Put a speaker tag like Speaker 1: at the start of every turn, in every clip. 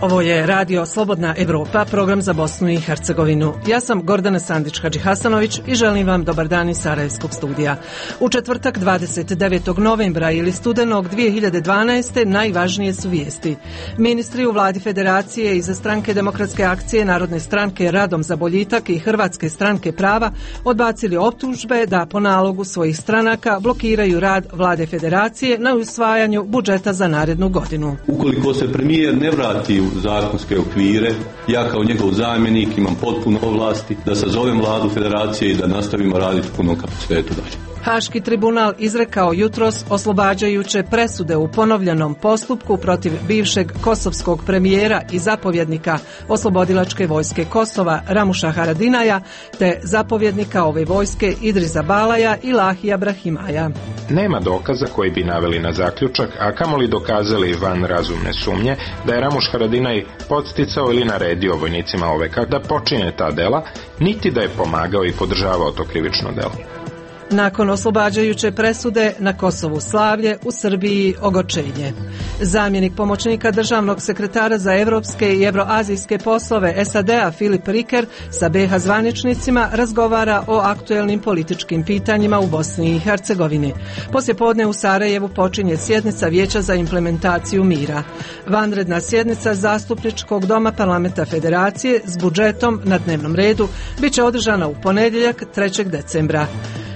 Speaker 1: Ovo je Radio Slobodna Evropa, program za Bosnu i Hercegovinu. Ja sam Gordana Sandić-Hadžihasanović i želim vam dobar dan iz Sarajevskog studija. U četvrtak 29. novembra ili studenog 2012. najvažnije su vijesti. Ministri u vladi Federacije iza Stranke demokratske akcije, Narodne stranke Radom za boljitak i Hrvatske stranke prava odbacili optužbe da po nalogu svojih stranaka blokiraju rad vlade Federacije na usvajanju budžeta za narednu godinu.
Speaker 2: Ukoliko se premijer ne vrati u zakonske okvire, ja kao njegov zamjenik imam potpuno ovlasti da sazovem vladu Federacije i da nastavimo raditi u punom kapacitetu dalje.
Speaker 1: Haški tribunal izrekao jutros oslobađajuće presude u ponovljenom postupku protiv bivšeg kosovskog premijera i zapovjednika oslobodilačke vojske Kosova Ramuša Haradinaja te zapovjednika ove vojske Idrisa Balaja i Lahija Brahimaja.
Speaker 3: Nema dokaza koji bi naveli na zaključak, a kamoli dokazali van razumne sumnje da je Ramuš Haradinaj podsticao ili naredio vojnicima OVK da počine ta dela, niti da je pomagao i podržavao to krivično delo.
Speaker 1: Nakon oslobađajuće presude na Kosovu slavlje, u Srbiji ogorčenje. Zamjenik pomoćnika državnog sekretara za evropske i evroazijske poslove SAD-a Filip Riker sa BiH zvaničnicima razgovara o aktuelnim političkim pitanjima u Bosni i Hercegovini. Poslijepodne u Sarajevu počinje sjednica Vijeća za implementaciju mira. Vanredna sjednica Zastupničkog doma Parlamenta Federacije s budžetom na dnevnom redu bit će održana u ponedjeljak 3. decembra.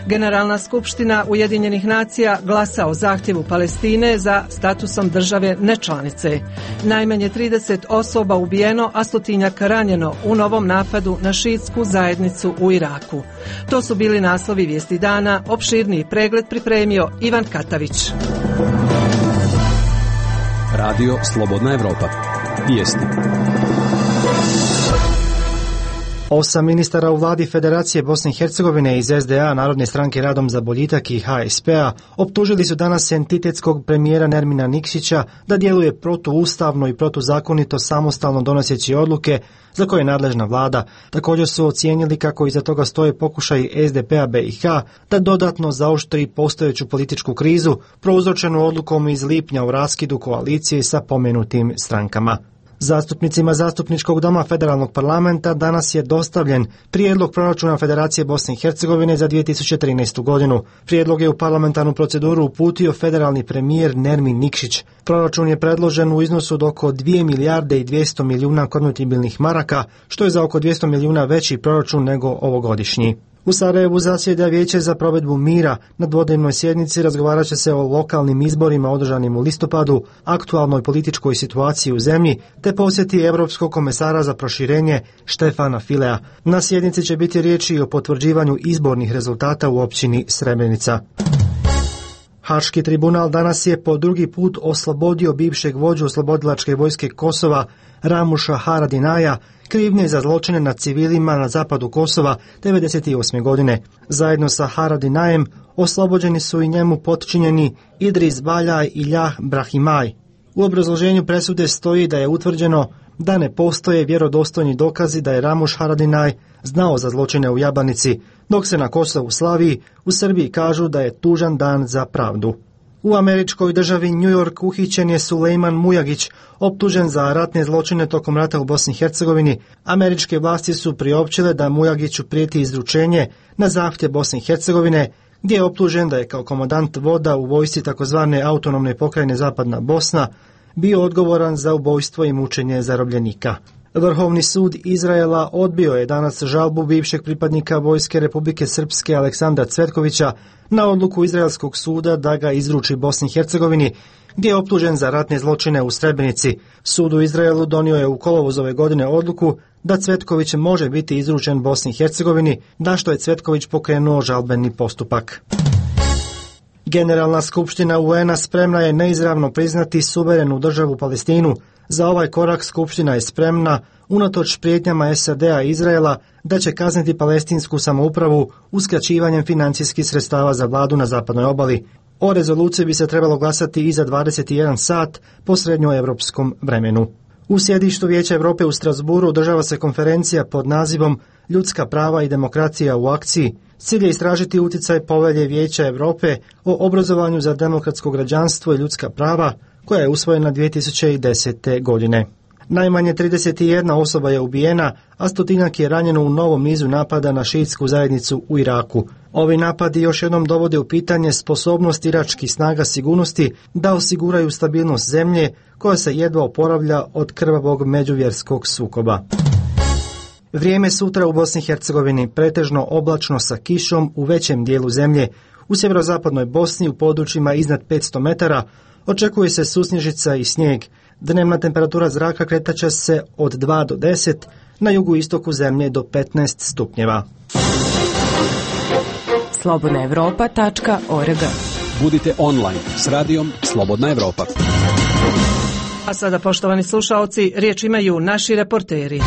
Speaker 1: Generalna skupština Ujedinjenih nacija glasa o zahtjevu Palestine za statusom države nečlanice. Najmanje 30 osoba ubijeno, a stotinjak ranjeno u novom napadu na šiitsku zajednicu u Iraku. To su bili naslovi vijesti dana, opširniji pregled pripremio Ivan Katavić.
Speaker 4: Radio Slobodna Evropa. Vijesti.
Speaker 5: 8 ministara u vladi Federacije Bosne i Hercegovine iz SDA, Narodne stranke Radom za boljitak i HSP-a optužili su danas entitetskog premijera Nermina Nikšića da djeluje protuustavno i protuzakonito samostalno donoseći odluke za koje je nadležna vlada. Također su ocijenili kako iza toga stoje pokušaj SDP-a BiH da dodatno zaoštri postojeću političku krizu prouzročenu odlukom iz lipnja o raskidu koalicije sa pomenutim strankama. Zastupnicima Zastupničkog doma Federalnog parlamenta danas je dostavljen prijedlog proračuna Federacije Bosne i Hercegovine za 2013. godinu. Prijedlog je u parlamentarnu proceduru uputio federalni premijer Nermin Nikšić. Proračun je predložen u iznosu od oko 2 milijarde i 200 milijuna konvertibilnih maraka, što je za oko 200 milijuna veći proračun nego ovogodišnji. U Sarajevu zasjeda Vijeće za provedbu mira. Na dvodnevnoj sjednici razgovarat će se o lokalnim izborima održanim u listopadu, aktualnoj političkoj situaciji u zemlji, te posjeti Europskog komesara za proširenje Štefana Filea. Na sjednici će biti riječi o potvrđivanju izbornih rezultata u općini Srebrenica. Haški tribunal danas je po drugi put oslobodio bivšeg vođu oslobodilačke vojske Kosova Ramuša Haradinaja krivnje za zločine nad civilima na zapadu Kosova 1998. godine. Zajedno sa Haradinajem oslobođeni su i njemu potčinjeni Idris Balaj i Lah Brahimaj. U obrazloženju presude stoji da je utvrđeno da ne postoje vjerodostojni dokazi da je Ramuš Haradinaj znao za zločine u Jabanici, dok se na Kosovu slavi, u Srbiji kažu da je tužan dan za pravdu. U američkoj državi New York uhićen je Sulejman Mujagić, optužen za ratne zločine tokom rata u Bosni i Hercegovini. Američke vlasti su priopćile da Mujagiću prijeti izručenje na zahtjev Bosne i Hercegovine, gdje je optužen da je kao komandant voda u vojsci takozvane autonomne pokrajine Zapadna Bosna bio odgovoran za ubojstvo i mučenje zarobljenika. Vrhovni sud Izraela odbio je danas žalbu bivšeg pripadnika vojske Republike Srpske Aleksandra Cvetkovića na odluku izraelskog suda da ga izruči Bosni i Hercegovini, gdje je optužen za ratne zločine u Srebrenici. Sud u Izraelu donio je u kolovozu ove godine odluku da Cvetković može biti izručen Bosni i Hercegovini, na što je Cvetković pokrenuo žalbeni postupak. Generalna skupština UN-a spremna je neizravno priznati suverenu državu Palestinu. Za ovaj korak skupština je spremna, unatoč prijetnjama SAD-a i Izraela, da će kazniti palestinsku samoupravu uskraćivanjem financijskih sredstava za vladu na zapadnoj obali. O rezoluciji bi se trebalo glasati i za 21 sat po srednjoevropskom vremenu. U sjedištu Vijeća Europe u Strasburu održava se konferencija pod nazivom Ljudska prava i demokracija u akciji. Cilj je istražiti utjecaj povelje Vijeća Europe o obrazovanju za demokratsko građanstvo i ljudska prava, koja je usvojena 2010. godine. Najmanje 31 osoba je ubijena, a stotinjak je ranjeno u novom nizu napada na šiitsku zajednicu u Iraku. Ovi napadi još jednom dovode u pitanje sposobnost iračkih snaga sigurnosti da osiguraju stabilnost zemlje koja se jedva oporavlja od krvavog međuvjerskog sukoba. Vrijeme sutra u Bosni i Hercegovini pretežno oblačno sa kišom u većem dijelu zemlje. U sjeverozapadnoj Bosni u područjima iznad 500 metara očekuje se susnježica i snijeg. Dnevna temperatura zraka kretaće se od 2 do 10, na jugoistoku zemlje do 15 stupnjeva.
Speaker 6: slobodnaevropa.org.
Speaker 4: Budite online s radijom Slobodna Evropa.
Speaker 1: A sada, poštovani slušaoci, riječ imaju naši reporteri.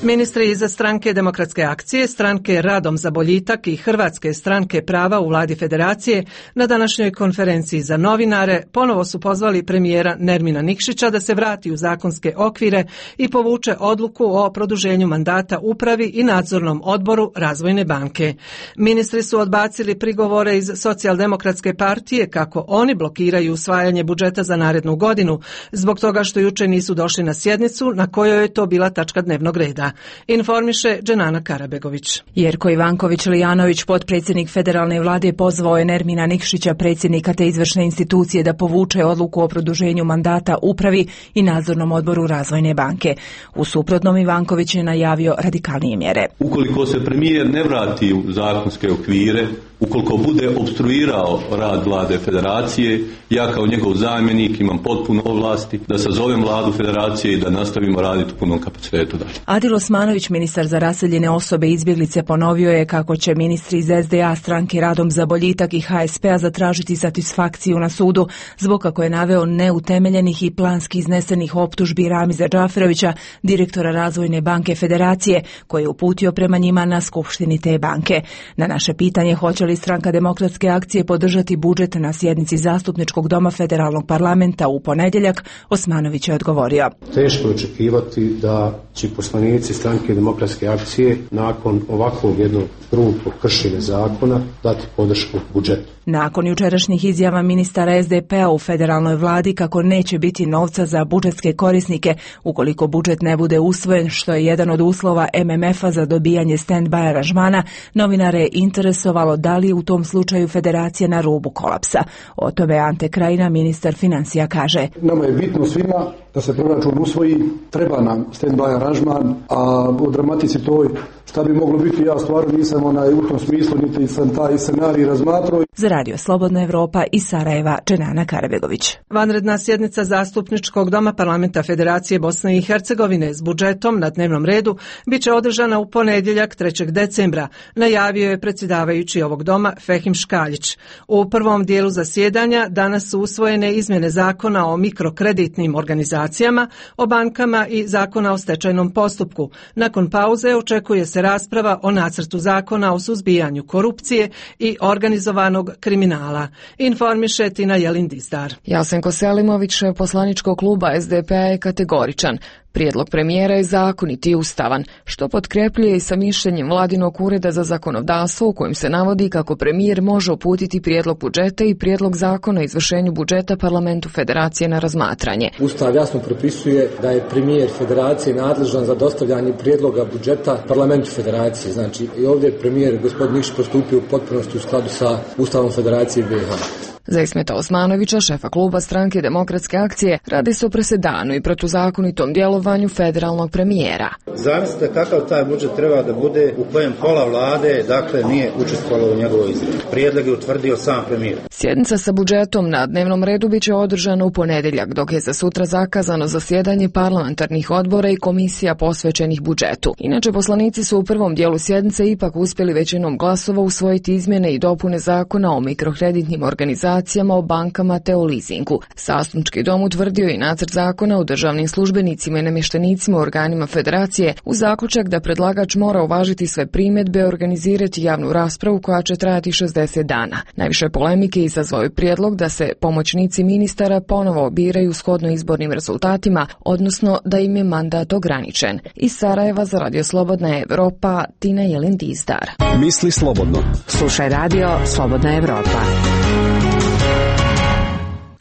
Speaker 1: Ministri iz stranke Demokratske akcije, stranke Radom za boljitak i Hrvatske stranke prava u vladi Federacije na današnjoj konferenciji za novinare ponovo su pozvali premijera Nermina Nikšića da se vrati u zakonske okvire i povuče odluku o produženju mandata upravi i nadzornom odboru Razvojne banke. Ministri su odbacili prigovore iz Socijaldemokratske partije kako oni blokiraju usvajanje budžeta za narednu godinu zbog toga što juče nisu došli na sjednicu na kojoj je to bila tačka dnevnog reda. Informiše Dženana Karabegović.
Speaker 6: Jerko Ivanković-Lijanović, potpredsjednik federalne vlade, pozvao je Nermina Nikšića, predsjednika te izvršne institucije, da povuče odluku o produženju mandata upravi i nadzornom odboru Razvojne banke. U suprotnom, Ivanković je najavio radikalnije mjere.
Speaker 2: Ukoliko se premijer ne vrati u zakonske okvire, ukoliko bude opstruirao rad vlade Federacije, ja kao njegov zamjenik imam potpuno ovlasti da sazovem vladu Federacije i da nastavimo raditi u punom kapacitetu dalje.
Speaker 6: Adil Osmanović, ministar za raseljene osobe i izbjeglice, ponovio je kako će ministri iz SDA, stranke Radom za boljitak i HSP-a zatražiti satisfakciju na sudu zbog, kako je naveo, neutemeljenih i planski iznesenih optužbi Ramiza Džaferovića, direktora Razvojne banke Federacije, koji je uputio prema njima na skupštini te banke. Na naše pitanje hoće li stranka Demokratske akcije podržati budžet na sjednici Zastupničkog doma Federalnog parlamenta u ponedjeljak, Osmanović je odgovorio.
Speaker 7: Teško je očekivati da će poslanici stranke Demokratske akcije nakon ovakvog jednog grubog kršenja zakona dati podršku budžetu.
Speaker 6: Nakon jučerašnjih izjava ministara SDP-a u federalnoj vladi kako neće biti novca za budžetske korisnike ukoliko budžet ne bude usvojen, što je jedan od uslova MMF-a za dobijanje stand-by aranžmana, novinare je interesovalo da li je u tom slučaju Federacija na rubu kolapsa. O tome Ante Krajina, ministar financija, kaže.
Speaker 8: Nama je bitno svima da se proračun usvoji, treba nam stand-by aranžman, a u dramatici toj šta bi moglo biti, ja stvarno nisam u tom smislu, niti sam taj scenarij razmatrao.
Speaker 6: Za radio Slobodna Evropa iz Sarajeva, Dženana Karabegović.
Speaker 1: Vanredna sjednica Zastupničkog doma Parlamenta Federacije Bosne i Hercegovine s budžetom na dnevnom redu biće održana u ponedjeljak 3. decembra, najavio je predsjedavajući ovog doma Fehim Škaljić. U prvom dijelu zasjedanja danas su usvojene izmjene zakona o mikrokreditnim organizacijama, o bankama i zakona o stečajnom postupku. Nakon pauze očekuje se rasprava o nacrtu zakona o suzbijanju korupcije i organizovanog kriminala. Informiše Tina Jelin-Dizdar.
Speaker 9: Jasenko Selimović, poslaničkog kluba SDP-a, je kategoričan. Prijedlog premijera je zakonit i ustavan, što potkrepljuje i sa mišljenjem Vladinog ureda za zakonodavstvo u kojem se navodi kako premijer može uputiti prijedlog budžeta i prijedlog zakona o izvršenju budžeta Parlamentu Federacije na razmatranje.
Speaker 10: Ustav jasno propisuje da je premijer Federacije nadležan za dostavljanje prijedloga budžeta Parlamentu Federacije. Znači i ovdje je premijer gospodin Nikšić postupio u potpunosti u skladu sa Ustavom Federacije BiH.
Speaker 9: Za Ismeta Osmanovića, šefa kluba stranke Demokratske akcije, radi se o presedanu i protuzakonitom djelovanju federalnog premijera.
Speaker 11: Zamislite kakav taj budžet treba da bude u kojem pola vlade, dakle, nije učestvovalo u njegovoj izradi. Prijedlog je utvrdio sam premijer.
Speaker 9: Sjednica sa budžetom na dnevnom redu biće održana u ponedjeljak, dok je za sutra zakazano zasjedanje parlamentarnih odbora i komisija posvećenih budžetu. Inače, poslanici su u prvom dijelu sjednice ipak uspjeli većinom glasova usvojiti izmjene i dopune zakona o mikrokreditnim organizacijama, o bankama te o leasingu. Zastupnički dom utvrdio i nacrt zakona o državnim službenicima i namještenicima u organima Federacije uz zaključak da predlagač mora uvažiti sve primjedbe i organizirati javnu raspravu koja će trajati 60 dana. Najviše polemike izazvao je prijedlog da se pomoćnici ministara ponovo biraju shodno izbornim rezultatima, odnosno da im je mandat ograničen. Iz Sarajeva za radio Slobodna Evropa, Tina Jelin-Dizdar.
Speaker 4: Misli slobodno.
Speaker 6: Slušaj radio Slobodna Evropa.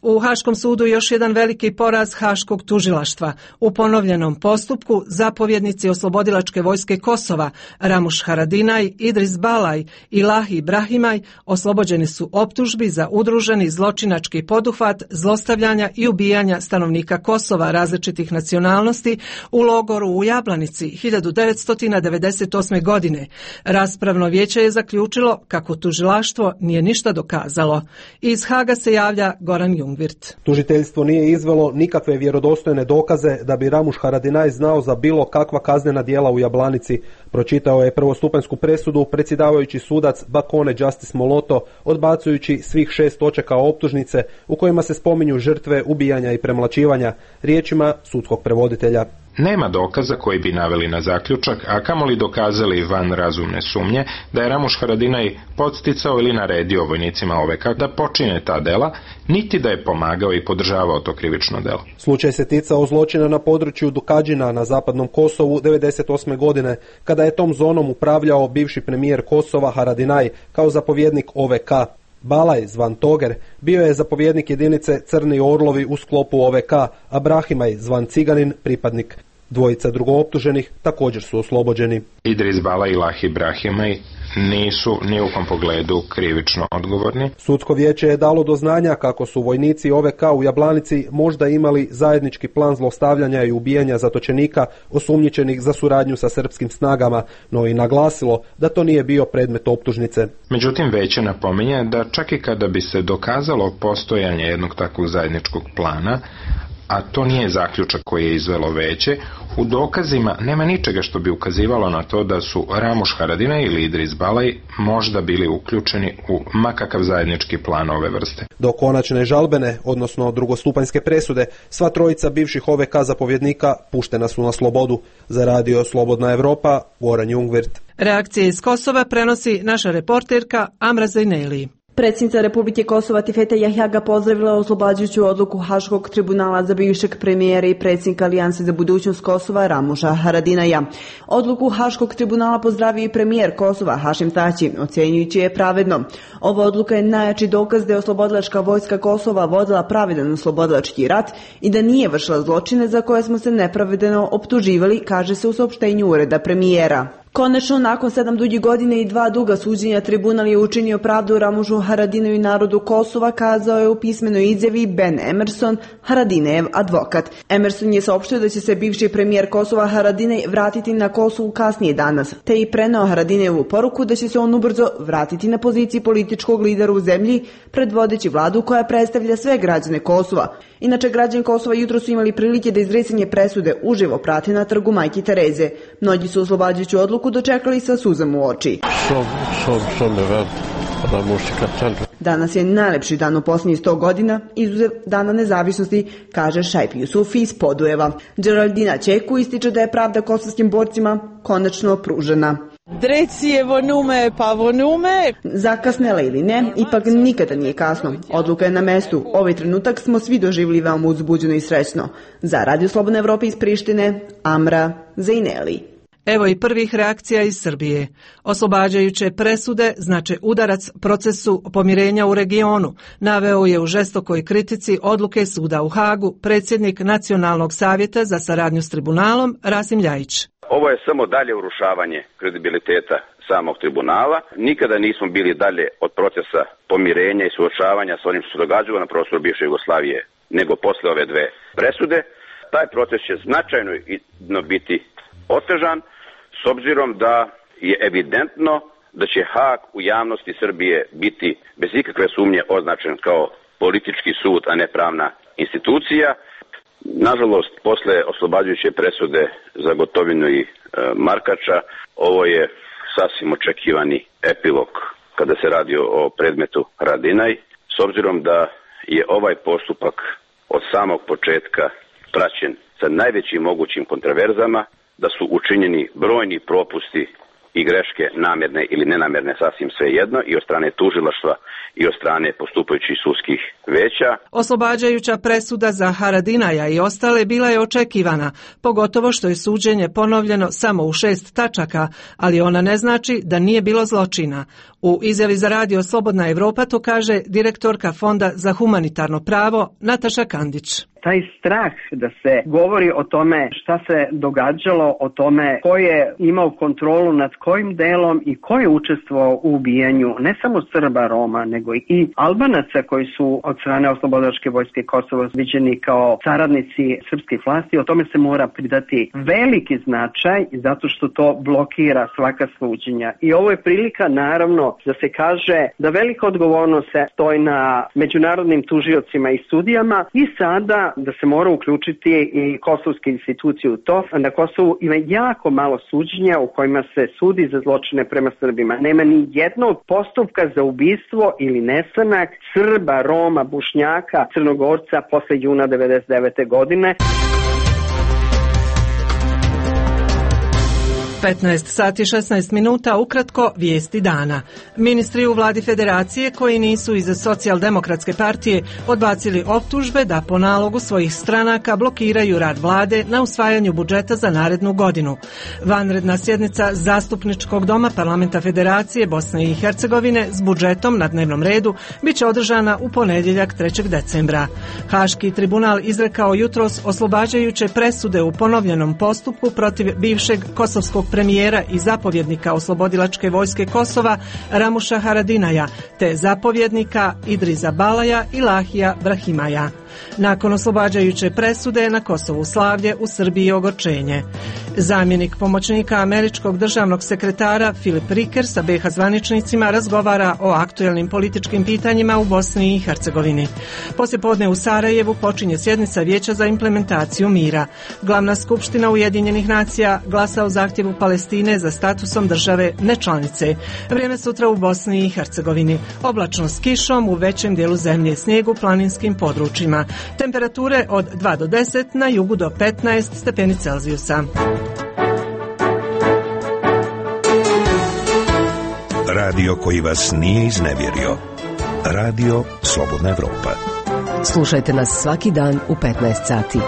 Speaker 1: U Haškom sudu još jedan veliki poraz Haškog tužilaštva. U ponovljenom postupku zapovjednici oslobodilačke vojske Kosova Ramuš Haradinaj, Idris Balaj i Lahi Ibrahimaj oslobođeni su optužbi za udruženi zločinački poduhvat, zlostavljanja i ubijanja stanovnika Kosova različitih nacionalnosti u logoru u Jablanici 1998. godine. Raspravno vijeće je zaključilo kako tužilaštvo nije ništa dokazalo. Iz Haga se javlja Goran Jungvirt.
Speaker 12: Tužiteljstvo nije izvelo nikakve vjerodostojne dokaze da bi Ramuš Haradinaj znao za bilo kakva kaznena djela u Jablanici. Pročitao je prvostupanjsku presudu predsjedavajući sudac Bakone Justice Moloto, odbacujući svih 6 točaka optužnice u kojima se spominju žrtve ubijanja i premlaćivanja, riječima sudskog prevoditelja.
Speaker 3: Nema dokaza koji bi naveli na zaključak, a kamoli dokazali van razumne sumnje da je Ramuš Haradinaj podsticao ili naredio vojnicima OVK da počine ta dela, niti da je pomagao i podržavao to krivično delo.
Speaker 12: Slučaj se ticao zločina na području Dukadžina na zapadnom Kosovu 1998. godine, kada je tom zonom upravljao bivši premijer Kosova Haradinaj kao zapovjednik OVK. Balaj, zvan Toger, bio je zapovjednik jedinice Crni orlovi u sklopu OVK, a Brahimaj, zvan Ciganin, pripadnik. Dvojica drugooptuženih također su oslobođeni.
Speaker 3: Idris Balaj i Lahi Brahimaj nisu ni u kom pogledu krivično odgovorni.
Speaker 12: Sudsko vijeće je dalo do znanja kako su vojnici OVK u Jablanici možda imali zajednički plan zlostavljanja i ubijanja zatočenika osumnjičenih za suradnju sa srpskim snagama, no i naglasilo da to nije bio predmet optužnice.
Speaker 3: Međutim, vijeće napominje da čak i kada bi se dokazalo postojanje jednog takvog zajedničkog plana, a to nije zaključak koji je izvelo vijeće, u dokazima nema ničega što bi ukazivalo na to da su Ramuš Haradinaj ili Idris Balaj možda bili uključeni u makakav zajednički plan ove vrste.
Speaker 12: Do konačne žalbene, odnosno drugostupanjske presude, sva trojica bivših OVK zapovjednika puštena su na slobodu. Za radio Slobodna Evropa, Goran Jungvirt.
Speaker 1: Reakcije iz Kosova prenosi naša reporterka Amra Zajneli.
Speaker 13: Predsjednica Republike Kosova Tifeta Jahjaga pozdravila oslobađajuću odluku Haškog tribunala za bivšeg premijera i predsjednika Alijanse za budućnost Kosova Ramuša Haradinaja. Odluku Haškog tribunala pozdravio i premijer Kosova Hašim Tači, ocjenjujući je pravedno. Ova odluka je najjači dokaz da je oslobodilačka vojska Kosova vodila pravedan oslobodilački rat i da nije vršila zločine za koje smo se nepravedno optuživali, kaže se u saopštenju ureda premijera. Konačno, nakon 7 duđih godina i 2 duga suđenja, tribunal je učinio pravdu Ramušu Haradinaju i narodu Kosova, kazao je u pismenoj izjavi Ben Emerson, Haradinejev advokat. Emerson je saopštio da će se bivši premijer Kosova Haradinaj vratiti na Kosovu kasnije danas, te i preneo Haradinejevu poruku da će se on ubrzo vratiti na poziciji političkog lidera u zemlji, predvodeći vladu koja predstavlja sve građane Kosova. Inače, građani Kosova jutro su imali prilike da izricanje presude uživo prate na trgu Majke Tereze. Mnogi su oslobađajuću odluku dočekali sa suzama u oči. Danas je najlepši dan u posljednjih 100 godina, izuzev Dana nezavisnosti, kaže Šajp Jusufi iz Podujeva. Geraldina Čeku ističe da je pravda kosovskim borcima konačno pružena.
Speaker 14: Drecije vonume, pa vonume.
Speaker 13: Zakasnela ili ne, ipak nikada nije kasno. Odluka je na mestu. Ovaj trenutak smo svi doživjeli veoma uzbuđeno i srećno. Za Radio Slobodna Evropa iz Prištine, Amra Zajneli.
Speaker 1: Evo i prvih reakcija iz Srbije. Oslobađajuće presude znače udarac procesu pomirenja u regionu, naveo je u žestokoj kritici odluke suda u Hagu predsjednik Nacionalnog savjeta za saradnju s tribunalom Rasim Ljajić.
Speaker 15: Ovo je samo dalje urušavanje kredibiliteta samog tribunala. Nikada nismo bili dalje od procesa pomirenja i suočavanja s onim što se događalo na prostoru bivše Jugoslavije nego posle ove dve presude. Taj proces će značajno biti otežan s obzirom da je evidentno da će Hag u javnosti Srbije biti bez ikakve sumnje označen kao politički sud, a ne pravna institucija. Nažalost, posle oslobađajuće presude za Gotovinu i Markača, ovo je sasvim očekivani epilog kada se radi o predmetu Haradinaj, s obzirom da je ovaj postupak od samog početka praćen sa najvećim mogućim kontraverzama, da su učinjeni brojni propusti i greške namjerne ili nenamjerne, sasvim svejedno, i od strane tužilaštva i od strane postupajućih sudskih veća.
Speaker 1: Oslobađajuća presuda za Haradinaja i ostale bila je očekivana, pogotovo što je suđenje ponovljeno samo u 6 tačaka, ali ona ne znači da nije bilo zločina. U izjavi za radio Slobodna Evropa to kaže direktorka Fonda za humanitarno pravo Nataša Kandić.
Speaker 16: Taj strah da se govori o tome šta se događalo, o tome ko je imao kontrolu nad kojim delom i ko je učestvovao u ubijanju ne samo Srba, Roma, nego i Albanaca koji su od strane Oslobodilačke vojske Kosova viđeni kao saradnici srpskih vlasti, o tome se mora pridati veliki značaj zato što to blokira svaka suđenja. I ovo je prilika naravno da se kaže da velika odgovornost se stoji na međunarodnim tužiocima i sudijama i sada da se mora uključiti i kosovske institucije u to. Na Kosovu ima jako malo suđenja u kojima se sudi za zločine prema Srbima. Nema ni jednog postupka za ubistvo ili nestanak Srba, Roma, Bošnjaka, Crnogorca posle juna 1999. godine.
Speaker 1: 15 sati 16 minuta, ukratko vijesti dana. Ministri u vladi federacije koji nisu iz Socijaldemokratske partije odbacili optužbe da po nalogu svojih stranaka blokiraju rad vlade na usvajanju budžeta za narednu godinu. Vanredna sjednica Zastupničkog doma Parlamenta Federacije Bosne i Hercegovine s budžetom na dnevnom redu biće održana u ponedjeljak 3. decembra. Haški tribunal izrekao jutros oslobađajuće presude u ponovljenom postupku protiv bivšeg kosovskog premijera i zapovjednika Oslobodilačke vojske Kosova Ramuša Haradinaja te zapovjednika Idriza Balaja i Lahija Brahimaja. Nakon oslobađajuće presude na Kosovu slavlje, u Srbiji ogorčenje. Zamjenik pomoćnika američkog državnog sekretara Filip Riker sa BiH zvaničnicima razgovara o aktuelnim političkim pitanjima u Bosni i Hercegovini. Poslijepodne u Sarajevu počinje sjednica Vijeća za implementaciju mira. Glavna skupština Ujedinjenih nacija glasa o zahtjevu Palestine za statusom države nečlanice. Vrijeme sutra u Bosni i Hercegovini. Oblačno s kišom u većem dijelu zemlje, snijeg u planinskim područjima. Temperature od 2 do 10, na jugu do 15 stepeni Celzijusa.
Speaker 17: Radio koji vas nije iznevjerio. Radio Slobodna Evropa.
Speaker 18: Slušajte nas svaki dan u 15 sati.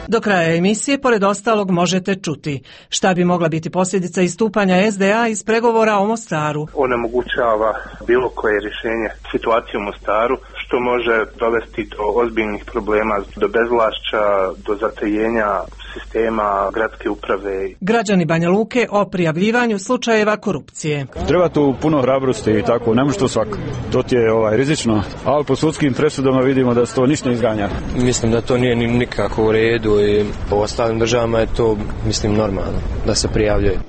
Speaker 1: Do kraja emisije, pored ostalog, možete čuti šta bi mogla biti posljedica istupanja SDA iz pregovora o Mostaru.
Speaker 19: Onemogućava bilo koje rješenje situacije u Mostaru, što može dovesti do ozbiljnih problema, do bezvlašća, do zatajenja sistema gradske uprave.
Speaker 1: Građani Banja Luke o prijavljivanju slučajeva korupcije.
Speaker 20: Treba tu puno hrabrosti i tako, ne može to svako. To ti je rizično, ali po sudskim presudama vidimo da se to ništa ne izganja.
Speaker 21: Mislim da to nije nikako u redu i po ostalim državama je to, mislim, normalno da se prijavljuje.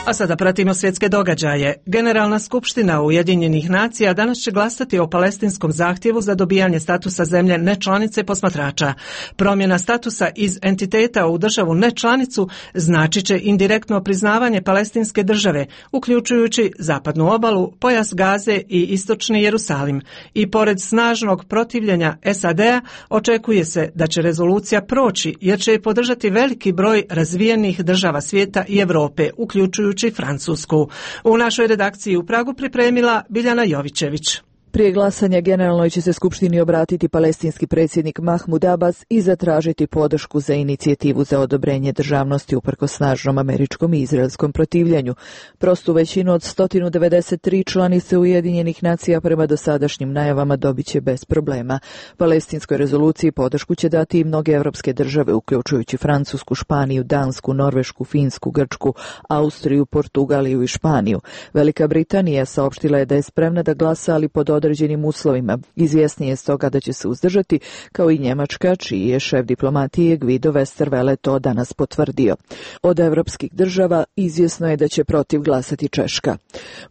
Speaker 1: A sada pratimo svjetske događaje. Generalna skupština Ujedinjenih nacija danas će glasati o palestinskom zahtjevu za dobijanje statusa zemlje nečlanice posmatrača. Promjena statusa iz entiteta u državu nečlanicu značit će indirektno priznavanje palestinske države, uključujući zapadnu obalu, pojas Gaze i istočni Jerusalim. I pored snažnog protivljenja SAD-a očekuje se da će rezolucija proći jer će je podržati veliki broj razvijenih država svijeta i Europe, uključujući Francusku. U našoj redakciji u Pragu pripremila Biljana Jovićević.
Speaker 22: Prije glasanja generalnoj će se skupštini obratiti palestinski predsjednik Mahmud Abbas i zatražiti podršku za inicijativu za odobrenje državnosti uprkos snažnom američkom i izraelskom protivljenju. Prostu većinu od 193 članice Ujedinjenih nacija prema dosadašnjim najavama dobit će bez problema. Palestinskoj rezoluciji podršku će dati i mnoge evropske države, uključujući Francusku, Španiju, Dansku, Norvešku, Finsku, Grčku, Austriju, Portugaliju i Španiju. Velika Britanija saopštila je da je spremna da glasa, ali pod određenim uslovima. Izvjesnije je stoga da će se uzdržati, kao i Njemačka, čiji je šef diplomatije Guido Westerwelle to danas potvrdio. Od evropskih država izvjesno je da će protiv glasati Češka.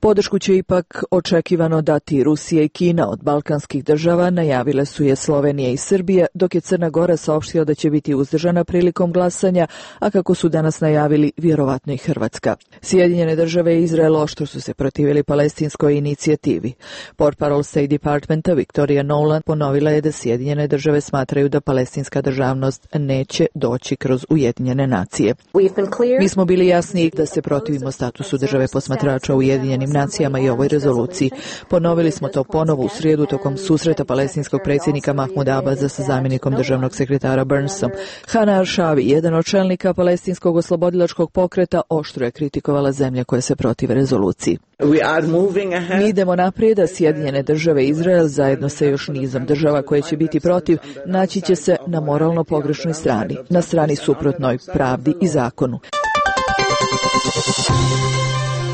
Speaker 22: Podršku će ipak očekivano dati Rusija i Kina. Od balkanskih država najavile su je Slovenija i Srbija, dok je Crna Gora saopštila da će biti uzdržana prilikom glasanja, a kako su danas najavili, vjerovatno i Hrvatska. Sjedinjene države i Izrael oštro su se protivili palestinskoj inicijativi. Portparol portparol State Departmenta Victoria Nolan ponovila je da Sjedinjene države smatraju da palestinska državnost neće doći kroz Ujedinjene nacije. Mi smo bili jasni da se protivimo statusu države posmatrača u Ujedinjenim nacijama i ovoj rezoluciji. Ponovili smo to ponovo u srijedu tokom susreta palestinskog predsjednika Mahmuda Abasa sa zamjenikom državnog sekretara Burnsom. Hana Arshavi, jedan od čelnika palestinskog oslobodilačkog pokreta, oštro je kritikovala zemlje koje se protive rezoluciji. Mi idemo naprijed, a Sjedinjene države i Izrael zajedno sa još nizom država koje će biti protiv naći će se na moralno pogrešnoj strani, na strani suprotnoj pravdi i zakonu.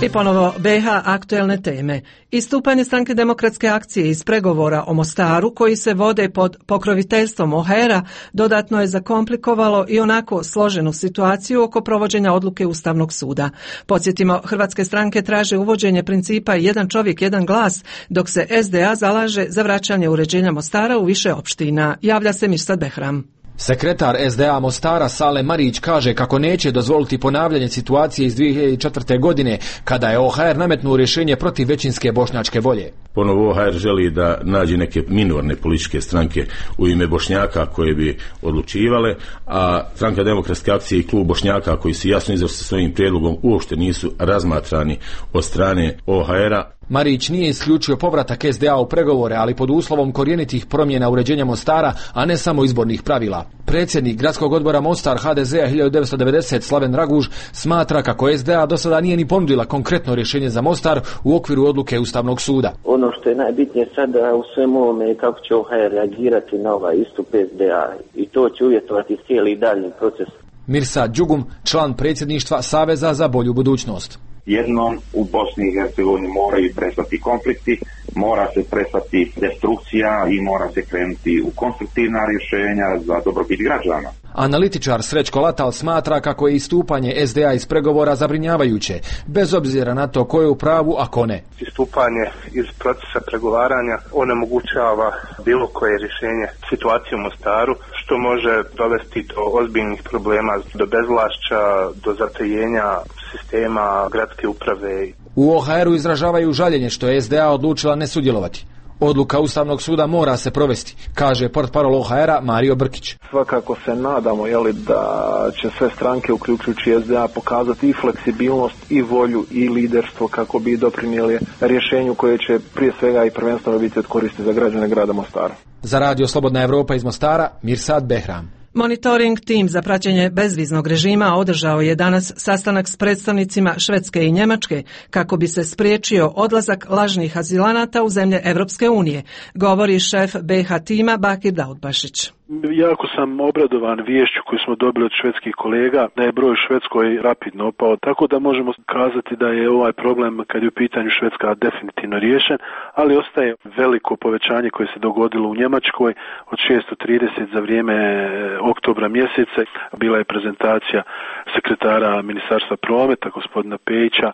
Speaker 1: I ponovo BiH aktuelne teme. Istupanje Stranke demokratske akcije iz pregovora o Mostaru koji se vode pod pokroviteljstvom OHR-a dodatno je zakomplikovalo i onako složenu situaciju oko provođenja odluke Ustavnog suda. Podsjetimo, hrvatske stranke traže uvođenje principa jedan čovjek, jedan glas, dok se SDA zalaže za vraćanje uređenja Mostara u više opština. Javlja se Mirsad Behram.
Speaker 2: Sekretar SDA Mostara Salem Marić kaže kako neće dozvoliti ponavljanje situacije iz 2004. godine kada je OHR nametnuo rješenje protiv većinske bošnjačke volje.
Speaker 5: Ponovo OHR želi da nađe neke minorne političke stranke u ime Bošnjaka koje bi odlučivale, a Stranka demokratske akcije i klub Bošnjaka koji su jasno izašli sa svojim prijedlogom uopšte nisu razmatrani od strane OHR-a.
Speaker 2: Marić nije isključio povratak SDA u pregovore, ali pod uslovom korjenitih promjena uređenja Mostara, a ne samo izbornih pravila. Predsjednik gradskog odbora Mostar HDZ-a 1990 Slaven Raguž smatra kako SDA do sada nije ni ponudila konkretno rješenje za Mostar u okviru odluke Ustavnog suda.
Speaker 23: Ono što je najbitnije sada u svemu ovome je kako će OHR reagirati na ovaj istup SDA i to će uvjetovati cijeli daljnji proces.
Speaker 2: Mirsad Đugum, član predsjedništva Saveza za bolju budućnost.
Speaker 24: Jednom u Bosni i Hercegovini moraju prestati konflikti, mora se prestati destrukcija i mora se krenuti u konstruktivna rješenja za dobrobit građana.
Speaker 2: Analitičar Srećko Latal smatra kako je istupanje SDA iz pregovora zabrinjavajuće, bez obzira na to ko je u pravu, a ko ne.
Speaker 19: Istupanje iz procesa pregovaranja onemogućava bilo koje rješenje situacije u Mostaru, što može dovesti do ozbiljnih problema, do bezvlašća, do zatajenja sistema gradske uprave.
Speaker 2: U OHR-u izražavaju žaljenje što je SDA odlučila ne sudjelovati. Odluka Ustavnog suda mora se provesti, kaže portparol OHR-a Mario Brkić.
Speaker 25: Svakako se nadamo da će sve stranke, uključujući SDA, pokazati i fleksibilnost i volju i liderstvo kako bi doprinijeli rješenju koje će prije svega i prvenstveno biti od koristi za građane grada Mostara.
Speaker 2: Za Radio Slobodna Evropa iz Mostara, Mirsad Behram.
Speaker 1: Monitoring tim za praćenje bezviznog režima održao je danas sastanak s predstavnicima Švedske i Njemačke kako bi se spriječio odlazak lažnih azilanata u zemlje Evropske unije, govori šef BiH tima Bakir Daudbašić.
Speaker 26: Jako sam obradovan viješću koju smo dobili od švedskih kolega da je broj u Švedskoj rapidno opao, tako da možemo kazati da je ovaj problem kad je u pitanju Švedska definitivno riješen, ali ostaje veliko povećanje koje se dogodilo u Njemačkoj od 630 za vrijeme oktobra mjeseca. Bila je prezentacija sekretara Ministarstva prometa, gospodina Pejića,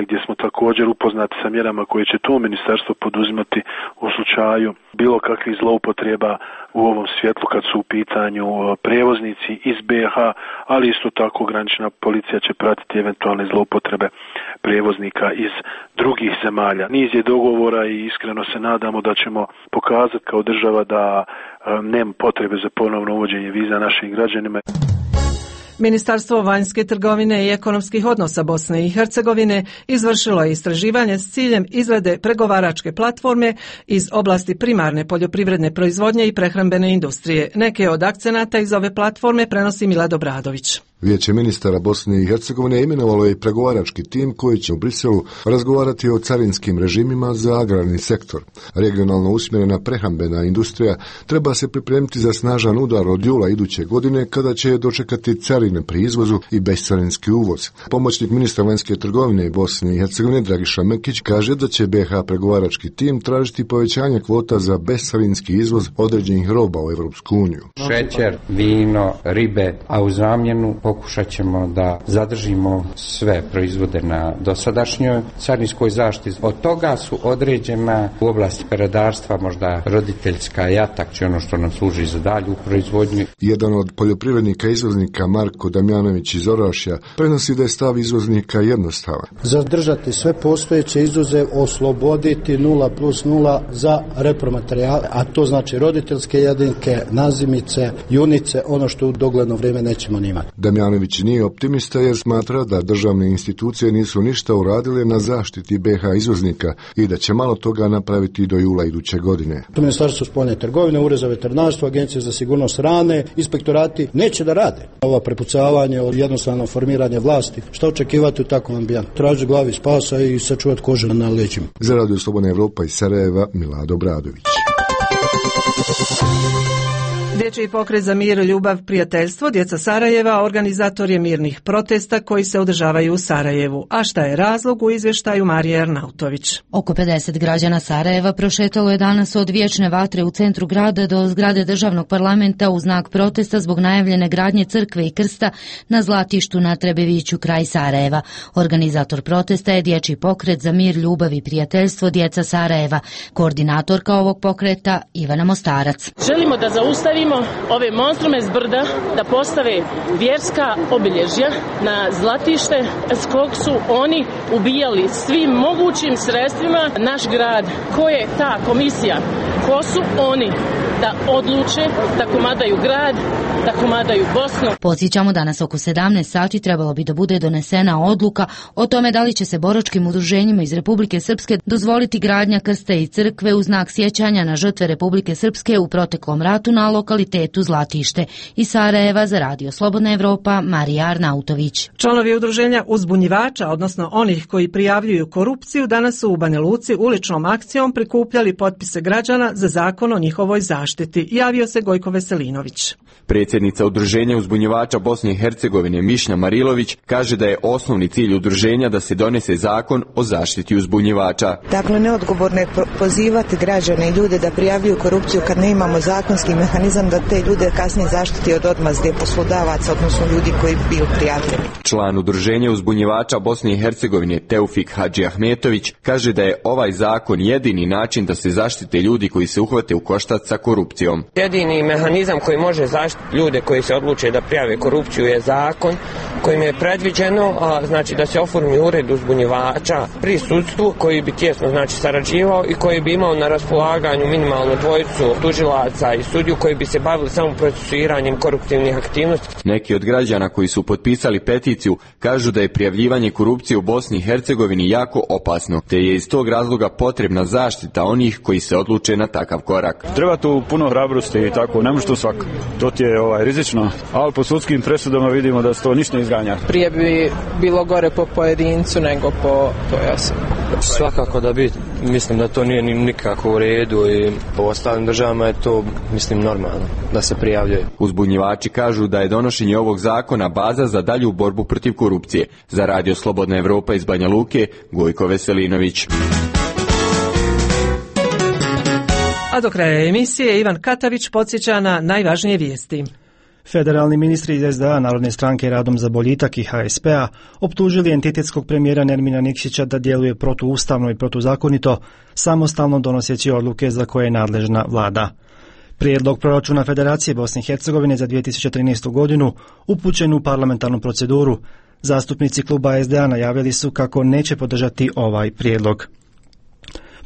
Speaker 26: gdje smo također upoznati sa mjerama koje će to ministarstvo poduzimati u slučaju bilo kakvih zloupotreba u ovom svjetlu kad su u pitanju prijevoznici iz BiH, ali isto tako granična policija će pratiti eventualne zloupotrebe prijevoznika iz drugih zemalja. Niz je dogovora i iskreno se nadamo da ćemo pokazati kao država da nema potrebe za ponovno uvođenje viza našim građanima.
Speaker 1: Ministarstvo vanjske trgovine i ekonomskih odnosa Bosne i Hercegovine izvršilo je istraživanje s ciljem izrade pregovaračke platforme iz oblasti primarne poljoprivredne proizvodnje i prehrambene industrije. Neke od akcenata iz ove platforme prenosi Milad Obradović.
Speaker 27: Vijeće ministara Bosne i Hercegovine imenovalo je pregovarački tim koji će u Briselu razgovarati o carinskim režimima za agrarni sektor. Regionalno usmjerena prehrambena industrija treba se pripremiti za snažan udar od jula iduće godine kada će dočekati carine pri izvozu i bescarinski uvoz. Pomoćnik ministra vanjske trgovine Bosne i Hercegovine Dragiša Mekić kaže da će BiH pregovarački tim tražiti povećanje kvota za bescarinski izvoz određenih roba u Europsku uniju.
Speaker 28: Šećer, vino, ribe, a u zamjenu
Speaker 4: pokušat ćemo da zadržimo sve proizvode na dosadašnjoj carinskoj zaštiti. Od toga su određena u oblasti peradarstva možda roditeljska jatak, će ono što nam služi za dalju proizvodnju.
Speaker 27: Jedan od poljoprivrednika izvoznika Marko Damjanović iz Orašja prenosi da je stav izvoznika jednostavan.
Speaker 6: Zadržati sve postojeće izuzev, osloboditi 0+0 za repromaterijale, a to znači roditeljske jedinke, nazimice, junice, ono što u dogledno vrijeme nećemo nimati.
Speaker 27: Damjanović nije optimista jer smatra da državne institucije nisu ništa uradile na zaštiti BiH izvoznika i da će malo toga napraviti do jula iduće godine.
Speaker 6: To Ministarstvo spoljne trgovine, Ured za veterinarstvo, Agencija za sigurnost hrane, inspektorati neće da rade. Ova prepucavanje od jednostavno formiranje vlasti, šta očekivati u takvom ambijentu? Traži glavi spasa i sačuvati kožu na leđima.
Speaker 27: Za Radio Slobodna Evropa iz Sarajeva, Milado Bradović.
Speaker 1: Dječji pokret za mir, ljubav, prijateljstvo, djeca Sarajeva, organizator je mirnih protesta koji se održavaju u Sarajevu. A šta je razlog, u izvještaju Marije Arnautović.
Speaker 7: Oko 50 građana Sarajeva prošetalo je danas od vječne vatre u centru grada do zgrade državnog parlamenta u znak protesta zbog najavljene gradnje crkve i krsta na Zlatištu na Trebeviću kraj Sarajeva. Organizator protesta je Dječji pokret za mir, ljubav i prijateljstvo, djeca Sarajeva. Koordinatorka ovog pokreta Ivana Mostarac.
Speaker 8: Želimo da zaustavimo ove monstrume s brda, da postave vjerska obilježja na Zlatište s kog su oni ubijali svim mogućim sredstvima naš grad. Ko je ta komisija? Ko su oni da odluče da komadaju grad, da komadaju Bosnu?
Speaker 7: Podsjećamo, danas oko 17 sati trebalo bi da bude donesena odluka o tome da li će se boračkim udruženjima iz Republike Srpske dozvoliti gradnja krsta i crkve u znak sjećanja na žrtve Republike Srpske u proteklom ratu na lokalitetu Zlatište. Iz Sarajeva za Radio Slobodna Evropa, Marija Arnautović.
Speaker 1: Članovi udruženja uzbunjivača, odnosno onih koji prijavljuju korupciju, danas su u Banja Luci uličnom akcijom prikupljali potpise građana za zakon o njihovoj zaštiti. Javio se Gojko Veselinović.
Speaker 9: Predsjednica udruženja uzbunjivača Bosne i Hercegovine Mišnja Marilović kaže da je osnovni cilj udruženja da se donese zakon o zaštiti uzbunjivača.
Speaker 10: Dakle, neodgovorno je pozivati građane i ljude da prijavljuju korupciju kad ne imamo zakonski mehanizam da te ljude kasnije zaštiti od odmazde poslodavaca, odnosno ljudi koji bi bili prijavljeni.
Speaker 9: Član udruženja uzbunjivača Bosne i Hercegovine Teufik Hadži Ahmetović kaže da je ovaj zakon jedini način da se zaštite ljudi koji se uhvate u koštac sa korupcijom.
Speaker 11: Jedini mehanizam koji može zaštiti ljude koji se odluče da prijave korupciju je zakon kojim je predviđeno znači da se oformi ured uzbunjivača pri sudstvu koji bi tjesno sarađivao i koji bi imao na raspolaganju minimalnu dvojicu tužilaca i sudiju koji bi se bavili samo procesuiranjem koruptivnih aktivnosti.
Speaker 9: Neki od građana koji su potpisali peticiju kažu da je prijavljivanje korupcije u Bosni i Hercegovini jako opasno, te je iz tog razloga potrebna zaštita onih koji se odluče na takav korak.
Speaker 20: Treba tu puno hrabrosti i tako, ne može to svako. To ti je rizično, ali po sudskim presudama vidimo da se to ništa ne izganja.
Speaker 14: Prije bi bilo gore po pojedincu nego po toj osobi.
Speaker 21: Svakako da bi, mislim da to nije nikako u redu i po ostalim državama je to, mislim, normalno da se prijavljuje.
Speaker 9: Uzbunjivači kažu da je donošenje ovog zakona baza za dalju borbu protiv korupcije. Za Radio Slobodna Evropa iz Banja Luke, Gojko Veselinović.
Speaker 1: A do kraja emisije Ivan Katavić podsjeća na najvažnije vijesti.
Speaker 28: Federalni ministri iz SDA, Narodne stranke Radom za boljitak i HSP-a optužili entitetskog premijera Nermina Nikšića da djeluje protuustavno i protuzakonito, samostalno donoseći odluke za koje je nadležna vlada. Prijedlog proračuna Federacije Bosne i Hercegovine za 2013. godinu upućen u parlamentarnu proceduru. Zastupnici kluba SDA najavili su kako neće podržati ovaj prijedlog.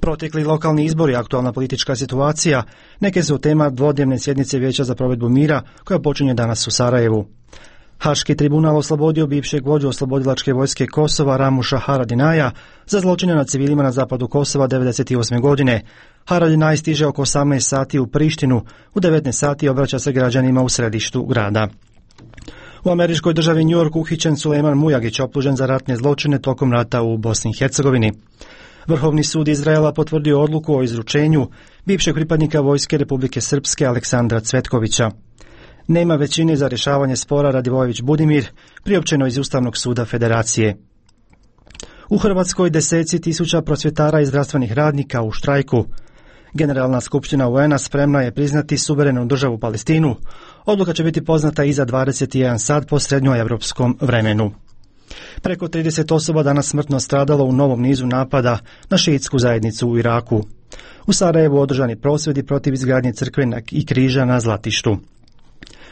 Speaker 28: Protekli lokalni izbori i aktualna politička situacija neke su tema dvodnevne sjednice Vijeća za provedbu mira koja počinje danas u Sarajevu. Haški tribunal oslobodio bivšeg vođu oslobodilačke vojske Kosova Ramuša Haradinaja za zločine nad civilima na zapadu Kosova 1998. godine. Haradinaj stiže oko 18 sati u Prištinu, u 19 sati obraća se građanima u središtu grada. U američkoj državi New York uhićen Sulejman Mujagić, optužen za ratne zločine tokom rata u Bosni i Hercegovini. Vrhovni sud Izraela potvrdio odluku o izručenju bivšeg pripadnika vojske Republike Srpske Aleksandra Cvetkovića. Nema većine za rješavanje spora Radivojević Budimir, priopćeno iz Ustavnog suda Federacije. U Hrvatskoj deseci tisuća prosvjetara i zdravstvenih radnika u štrajku. Generalna skupština UN-a spremna je priznati suverenu državu Palestinu. Odluka će biti poznata iza 21 sat po srednjoevropskom vremenu. Preko 30 osoba danas smrtno stradalo u novom nizu napada na šiitsku zajednicu u Iraku. U Sarajevu održani prosvjedi protiv izgradnje crkve i križa na Zlatištu.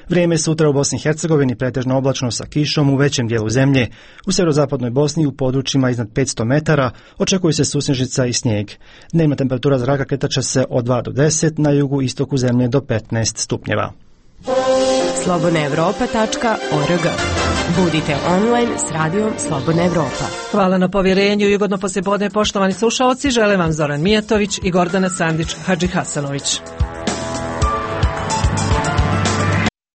Speaker 28: Vrijeme sutra u Bosni i Hercegovini pretežno oblačno sa kišom u većem dijelu zemlje. U sjeverozapadnoj Bosni u područjima iznad 500 metara očekuje se susnežica i snijeg. Dnevna temperatura zraka kretat će se od 2 do 10, na jugu istoku zemlje do 15 stupnjeva.
Speaker 3: slobodnaevropa.org. Budite online s radijom Slobodna Evropa.
Speaker 1: Hvala na povjerenju i ugodno poslijepodne, poštovani slušalci. Žele vam Zoran Mijatović i Gordana Sandić Hadžihasanović.